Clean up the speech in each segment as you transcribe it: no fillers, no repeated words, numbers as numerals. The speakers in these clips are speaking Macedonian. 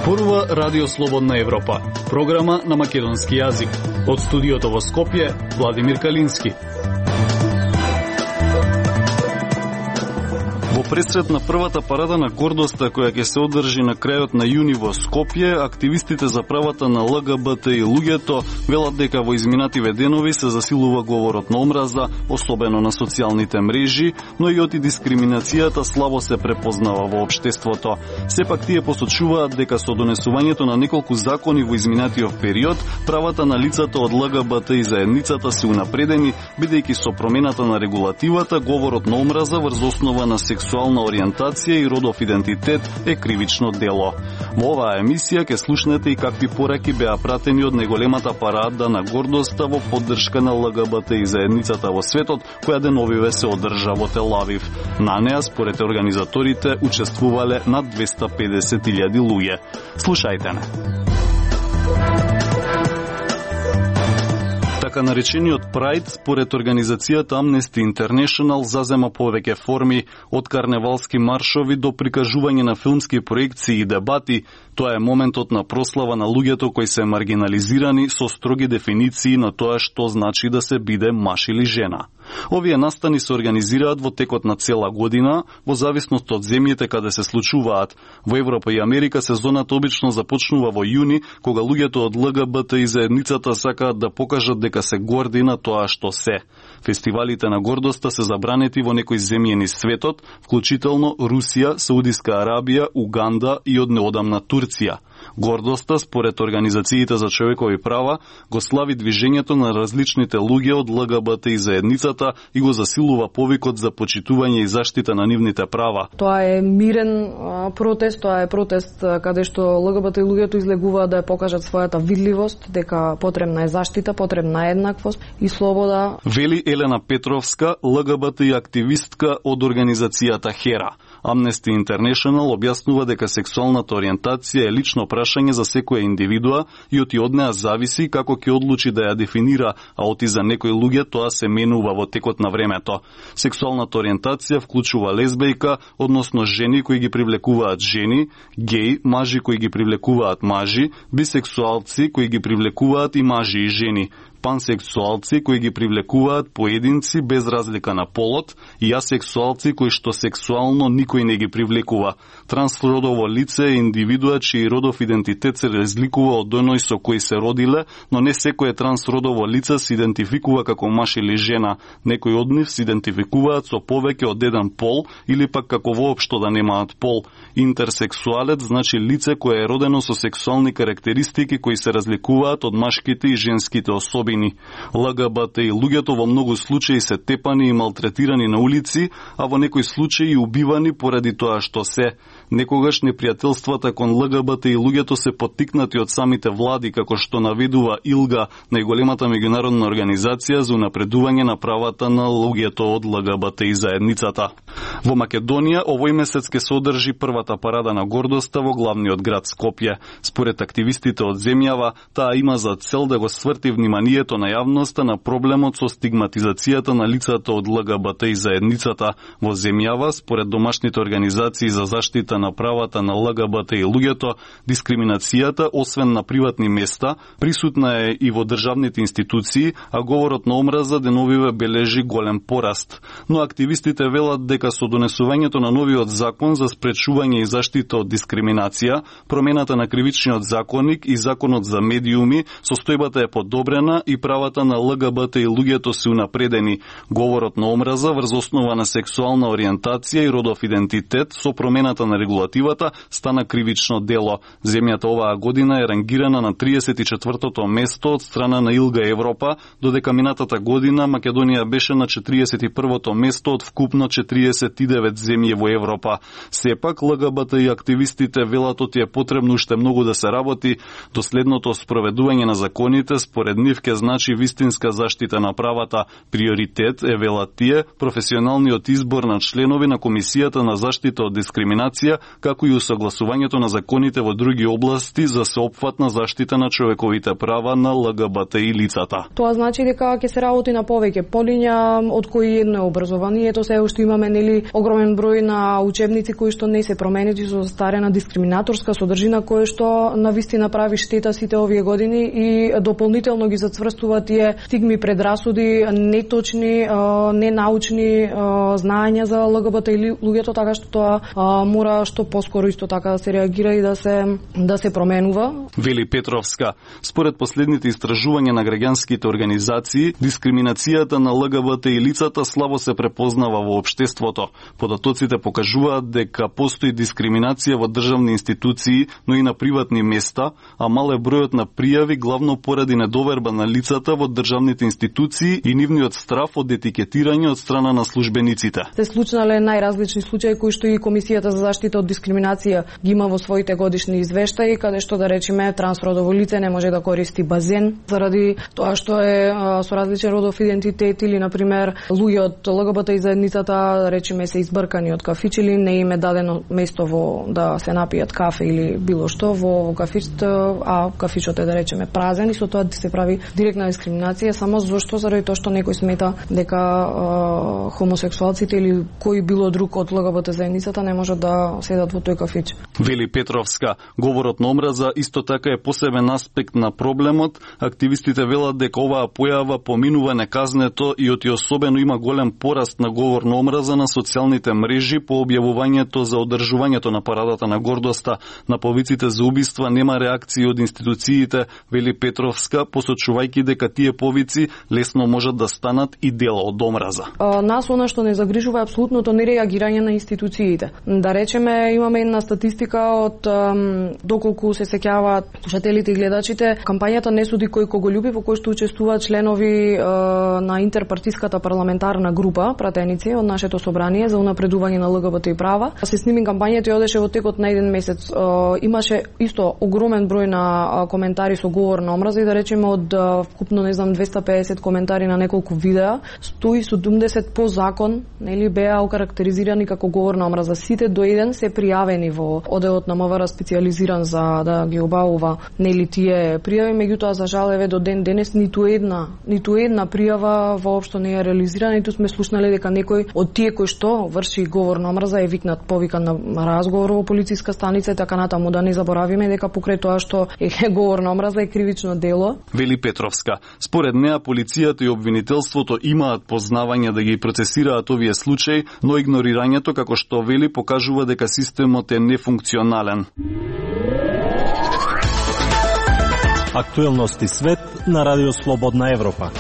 Зборува Радио Слободна Европа, програма на македонски јазик. Од студиото во Скопје, Владимир Калински. Во пресрет на првата парада на гордоста која ќе се одржи на крајот на јуни во Скопје, активистите за правата на ЛГБТ и луѓето велат дека во изминативе денови се засилува говорот на омраза, особено на социјалните мрежи, но и оти дискриминацијата слабо се препознава во општеството. Сепак тие посочуваат дека со донесувањето на неколку закони во изминатиот период, правата на лицата од ЛГБТ и заедницата се унапредени, бидејќи со промената на регулативата, говорот на омраза врз основа на сексуална ориентација и родов идентитет е кривично дело. Во оваа емисија ќе слушнете и какви пораки беа пратени од најголемата парада на гордоста во поддршка на ЛГБТ и заедницата во светот, која деновиве се одржа во Тел Авив. На неа, според организаторите, учествувале над 250.000 луѓе. Слушајте не. Така наречениот Pride, според организацијата Amnesty International, зазема повеќе форми, од карневалски маршови до прикажување на филмски проекции и дебати. Тоа е моментот на прослава на луѓето кои се маргинализирани со строги дефиниции на тоа што значи да се биде маж или жена. Овие настани се организираат во текот на цела година, во зависност од земјите каде се случуваат. Во Европа и Америка сезоната обично започнува во јуни, кога луѓето од ЛГБТ и заедницата сакаат да покажат дека се горди на тоа што се. Фестивалите на гордоста се забранети во некои земји низ светот, вклучително Русија, Саудиска Арабија, Уганда и од неодамна Турција. Гордоста, според организациите за човекови права, го слави движењето на различните луѓе од ЛГБТ и заедницата и го засилува повикот за почитување и заштита на нивните права. Тоа е мирен протест, тоа е протест каде што ЛГБТ и луѓето излегуваат да ја покажат својата видливост, дека потребна е заштита, потребна е еднаквост и слобода. Вели Елена Петровска, ЛГБТ и активистка од организацијата HERA. Amnesty International објаснува дека сексуалната ориентација е лично прашање за секоја индивидуа и од неа зависи како ќе одлучи да ја дефинира, а оти за некои луѓе тоа се менува во текот на времето. Сексуалната ориентација вклучува лесбејка, односно жени кои ги привлекуваат жени, геј, мажи кои ги привлекуваат мажи, бисексуалци кои ги привлекуваат и мажи и жени, пансексуалци кои ги привлекуваат поединци без разлика на полот и асексуалци кои што сексуално никој не ги привлекува. Трансродово лице е индивидуа чиј родов идентитет се разликува од оној со кој се родиле, но не секое трансродово лице се идентификува како маж или жена. Некои од нив се идентификуваат со повеќе од еден пол или пак како воопшто да немаат пол. Интерсексуалец значи лице кое е родено со сексуални карактеристики кои се разликуваат од машките и женските особини. ЛГБТ и луѓето во многу случаи се тепани и малтретирани на улици, а во некои случаи и убивани поради тоа што се. Некогаш непријателствата кон ЛГБТ и луѓето се поттикнати од самите влади, како што наведува ИЛГА, најголемата меѓународна организација за унапредување на правата на луѓето од ЛГБТ и заедницата. Во Македонија овој месец ќе се одржи првата парада на гордоста во главниот град Скопје. Според активистите од земјава, таа има за цел да го сврти вниманието на јавноста на проблемот со стигматизацијата на лицата од ЛГБТ и заедницата. Во земјава, според домашните организации за заштита на правата на ЛГБТ и луѓето, дискриминацијата, освен на приватни места, присутна е и во државните институции, а говорот на омраза деновиве бележи голем пораст. Но активистите велат дека со донесувањето на новиот закон за спречување и заштита од дискриминација, промената на кривичниот законник и законот за медиуми, состојбата е подобрена и правата на ЛГБТ и луѓето се унапредени. Говорот на омраза врз основа на сексуална ориентација и родов идентитет со промената на регулативата стана кривично дело. Земјата оваа година е рангирана на 34-то место од страна на ИЛГА Европа, додека минатата година Македонија беше на 41-то место од вкупно 49 земји во Европа. Сепак, ЛГБТ и активистите велат оти е потребно уште многу да се работи. Доследното спроведување на законите според нив ке значи вистинска заштита на правата. Приоритет е, велат тие, професионалниот избор на членови на Комисијата на заштита од дискриминација дискриминација, како и усогласувањето на законите во други области за сеопфатна заштита на човековите права на ЛГБТИ лицата. Тоа значи дека ќе се работи на повеќе полиња, од кои едно е образованието, се уште имаме огромен број на учебници кои што не се променети со застарена дискриминаторска содржина која што навистина прави штета сите овие години и дополнително ги зацврстува тие стигми, предрасуди, неточни, ненаучни знаења за ЛГБТ или луѓето, така што тоа мора што поскоро исто така да се реагира и да се променува. Вели Петровска, според последните истражувања на граѓанските организации, дискриминацијата на ЛГБТ и лицата слабо се препознава во општеството. Податоците покажуваат дека постои дискриминација во државни институции, но и на приватни места, а мал е бројот на пријави главно поради недоверба на лицата во државните институции и нивниот страф од етикетирање од страна на службениците. Се случнале најразлични случаи кои што и Комисијата за заштита од дискриминација ги има во своите годишни извештаи, каде што да речеме трансродово лице не може да користи базен заради тоа што е со различен родов идентитет или на пример луѓе од ЛГБТ и заедницата да речеме се избркани од кафич или не им е дадено место во да се напијат кафе или било што во кафичот, а кафичот е да речеме празен и со тоа се прави директна дискриминација само зашто заради тоа што некој смета дека хомосексуалците или кој било друг од ЛГБТ заедницата не можат да седат во тој кафич. Вели Петровска, говорот на омраза исто така е посебен аспект на проблемот. Активистите велат дека оваа појава поминува неказнето и особено има голем пораст на говор на омраза на социјалните мрежи по објавувањето за одржувањето на парадата на гордоста. На повиците за убиства нема реакции од институциите, вели Петровска, посочувајќи дека тие повици лесно можат да станат и дел од омраза. Нас она што не загрижува е апсолутното нереагирање на институциите. Да речеме, имаме една статистика од доколку се сеќаваат слушателите и гледачите, кампањата Не суди кој кого љуби, во кој што учествуваат членови на интерпартиската парламентарна група, пратеници од нашето собрание за унапредување на ЛГБТ и права. Се сними кампањата и одеше во текот на еден месец. Имаше исто огромен број на коментари со говор на омраза и да речеме од вкупно 250 коментари на неколку видеа, 170 по закон, нели беа окарактеризирани како говор на омраза. Сите до еден се пријавени во одделот на МВР специјализиран за да ги обавува нели тие пријави, меѓутоа за жал еве до ден денес ниту една пријава воопшто не е реализирана, ниту сме слушнале дека некој од тие кои што врши говор на омраза е повикан на разговор во полициска станица и така натаму. Да не заборавиме дека покрај тоа што е говор на омраза е кривично дело. Вели Петровска, според неа полицијата и обвинителството имаат познавање да ги процесираат овие случаи, но игнорирањето, како што вели, покажува дека системот е нефункционален. Актуелности свет на Радио Слободна Европа.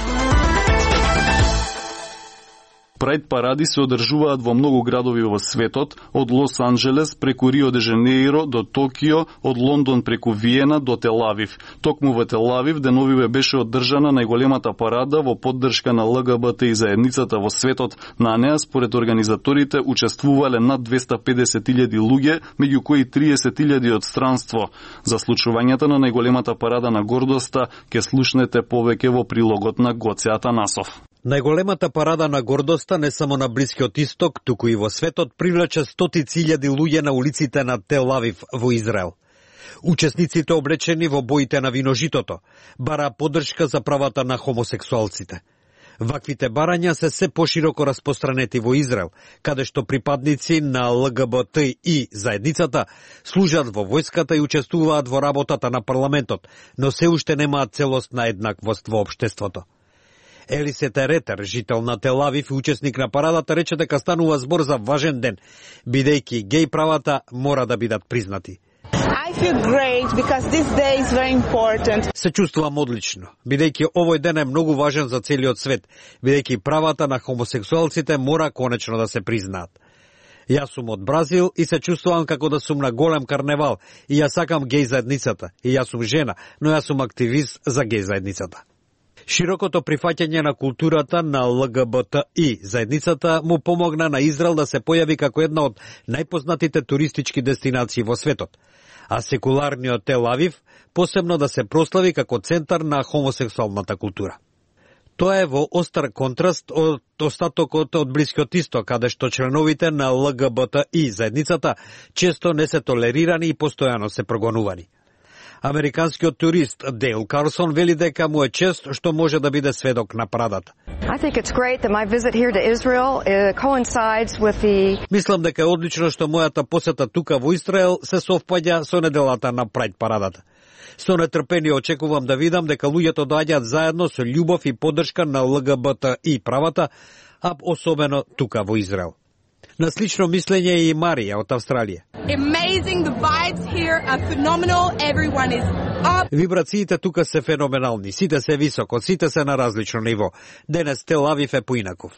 Прајд паради се одржуваат во многу градови во светот, од Лос Анџелес преку Рио де Жанеиро до Токио, од Лондон преку Виена до Тел Авив. Токму во Тел Авив деновиве беше одржана најголемата парада во поддршка на ЛГБТ и заедницата во светот. На неа, според организаторите, учествувале над 250.000 луѓе, меѓу кои 30.000 од странство. За случувањата на најголемата парада на гордоста ќе слушнете повеќе во прилогот на Гоце Атанасов. Најголемата парада на гордоста не само на Блискиот Исток, туку и во светот привлече стотици илјади луѓе на улиците на Тел Авив во Израел. Учесниците облечени во боите на виножитото бара поддршка за правата на хомосексуалците. Ваквите барања се пошироко распространети во Израел, каде што припадници на ЛГБТ и заедницата служат во војската и учествуваат во работата на парламентот, но се уште немаат целосна еднаквост во општеството. Елисета Ретер, жител на Тел Авив и учесник на парадата, рече дека станува збор за важен ден, бидејќи геј правата мора да бидат признати. I feel great because this day is very important. Се чувствувам одлично, бидејќи овој ден е многу важен за целиот свет, бидејќи правата на хомосексуалците мора конечно да се признаат. Јас сум од Бразил и се чувствувам како да сум на голем карневал и јас сакам геј заедницата. И јас сум жена, но јас сум активист за геј заедницата. Широкото прифаќање на културата на ЛГБТ и заедницата му помогна на Израел да се појави како една од најпознатите туристички дестинации во светот, а секуларниот Тел Авив посебно да се прослави како центар на хомосексуалната култура. Тоа е во остар контраст од остатокот од Блискиот исток, каде што членовите на ЛГБТИ заедницата често не се толерирани и постојано се прогонувани. Американскиот турист Дейл Карсон вели дека му е чест што може да биде сведок на парадата. Мислам дека е одлично што мојата посета тука во Израел се совпаѓа со неделата на Прајд парадата. Со нетрпение очекувам да видам дека луѓето доаѓаат заедно со љубов и поддршка на ЛГБТИ правата, а особено тука во Израел. На слично мислење и Марија од Австралија. Вибрациите тука се феноменални, сите се високо, сите се на различно ниво. Денес Тел Авив е поинаков.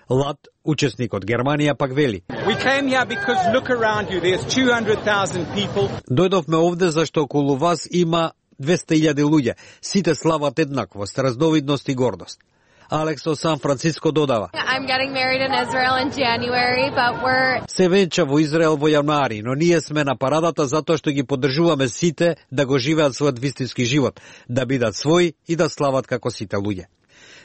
Лат, учесник од Германија, пак вели. Дојдовме овде зашто околу вас има 200.000 луѓе. Сите слават еднаквост, разновидност и гордост. Алекс од Сан Франциско додава. Се венча во Израел во јануари, но ние сме на парадата затоа што ги поддржуваме сите да го живеат својот вистински живот, да бидат своји и да слават како сите луѓе.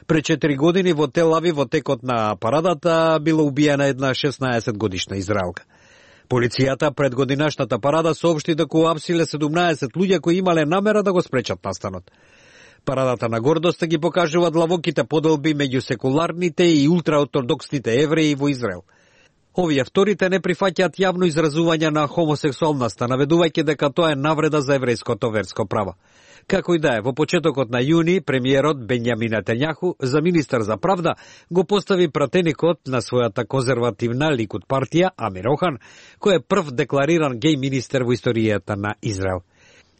Пред 4 години во Тел Авив во текот на парадата била убиена една 16-годишна израелка. Полицијата пред годинашната парада соопшти дека уапсиле 17 луѓе кои имале намера да го спречат настанот. Парадата на гордоста ги покажува длабоките поделби меѓу секуларните и ултраортодоксните евреи во Израел. Овие вторите не прифаќаат јавно изразување на хомосексуалноста, наведувајќи дека тоа е навреда за еврејското верско право. Како и да е, во почетокот на јуни, премиерот Бенјамин Нетањаху за министар за правда го постави пратеникот на својата конзервативна Ликуд партија, Амир Охан, кој е прв деклариран геј министер во историјата на Израел.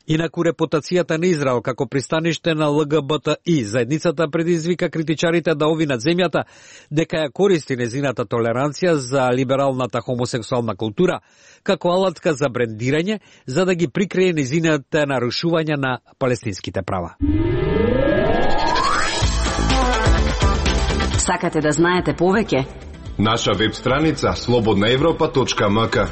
Инаку репутацијата на Израел како пристаниште на ЛГБТИ заедницата предизвика критичарите да овинат земјата дека ја користи незината толеранција за либералната хомосексуална култура како алатка за брендирање за да ги прикрие незините нарушувања на палестинските права. Сакате да знаете повеќе? Наша веб страница slobodnaevropa.mk.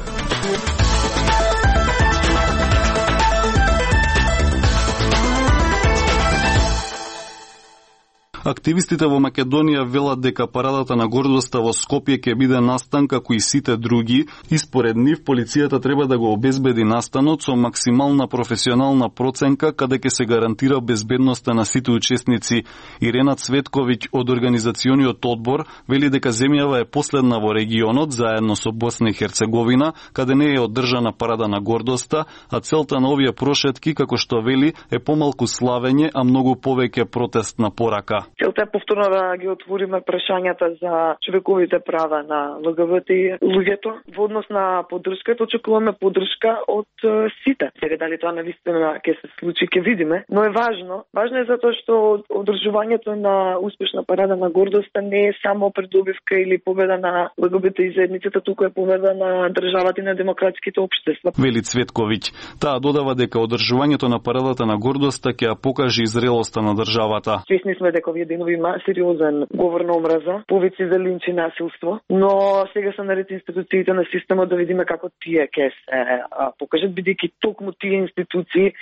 Активистите во Македонија велат дека парадата на гордоста во Скопје ќе биде настан како и сите други и според нив полицијата треба да го обезбеди настанот со максимална професионална проценка каде ќе се гарантира безбедноста на сите учесници. Ирена Цветковиќ од организациониот одбор вели дека земјава е последна во регионот заедно со Босна и Херцеговина каде не е одржана парада на гордоста, а целта на овие прошетки како што вели е помалку славење, а многу повеќе протестна порака. Целта е повторно да ги отвориме прашањата за човековите права на ЛГБТ луѓето. Во однос на поддршката очекуваме поддршка од сите. Сега дали тоа навистина ќе се случи, ќе видиме, но е важно. Важно е затоа што одржувањето на успешна парада на гордоста не е само придобивка или победа на ЛГБТ и заедницата, туку е победа на државата и на демократските општества. Вели Цветковиќ. Таа додава дека одржувањето на парадата на гордоста ќе ја покаже и зрелоста на државата. Свесни сме дека овие денови има сериозен говор на омраза, повици за линч и насилство, но сега се наред институциите на системот да видиме како тие ќе се покажат, бидејќи токму тие институции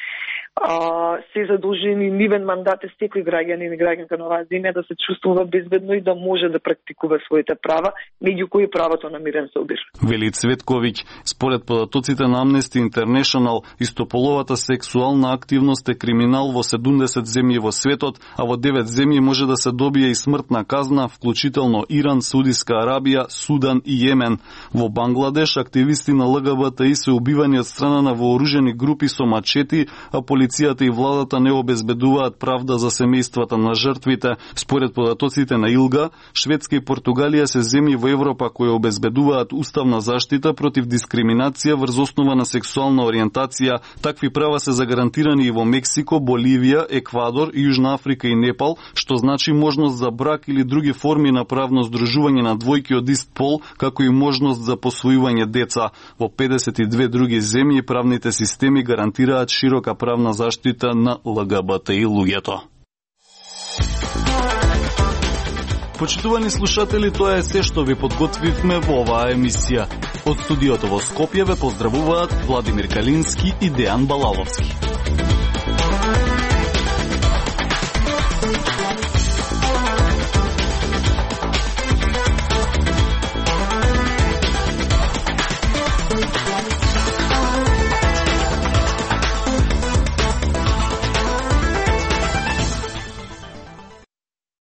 се задолжени, нивен мандат е секој граѓанин и граѓанка на оваа земја да се чувствува безбедно и да може да практикува своите права, меѓу кои правото на мирен собир. Вели Цветковиќ, според податоците на Amnesty International, истополовата сексуална активност е криминал во 70 земји во светот, а во 9 земји може да се добие и смртна казна, вклучително Иран, Саудиска Арабија, Судан и Јемен. Во Бангладеш активисти на ЛГБТИ се убивани од страна на вооружени групи со мачети, а полицијата и владата не обезбедуваат правда за семејствата на жртвите. Според податоците на ИЛГА, Шведска и Португалија се земји во Европа кои обезбедуваат уставна заштита против дискриминација врз основа на сексуална ориентација. Такви права се загарантирани и во Мексико, Боливија, Еквадор, Јужна Африка и Непал, што значи можност за брак или други форми на правно здружување на двојки од ист пол, како и можност за посвојување деца. Во 52 други земји правните системи гарантираат широка правна заштита на ЛГБТИ луѓето. Почитувани слушатели, тоа е се што ви подготвивме во оваа емисија. Од студиото во Скопје ве поздравуваат Владимир Калински и Дејан Балаловски.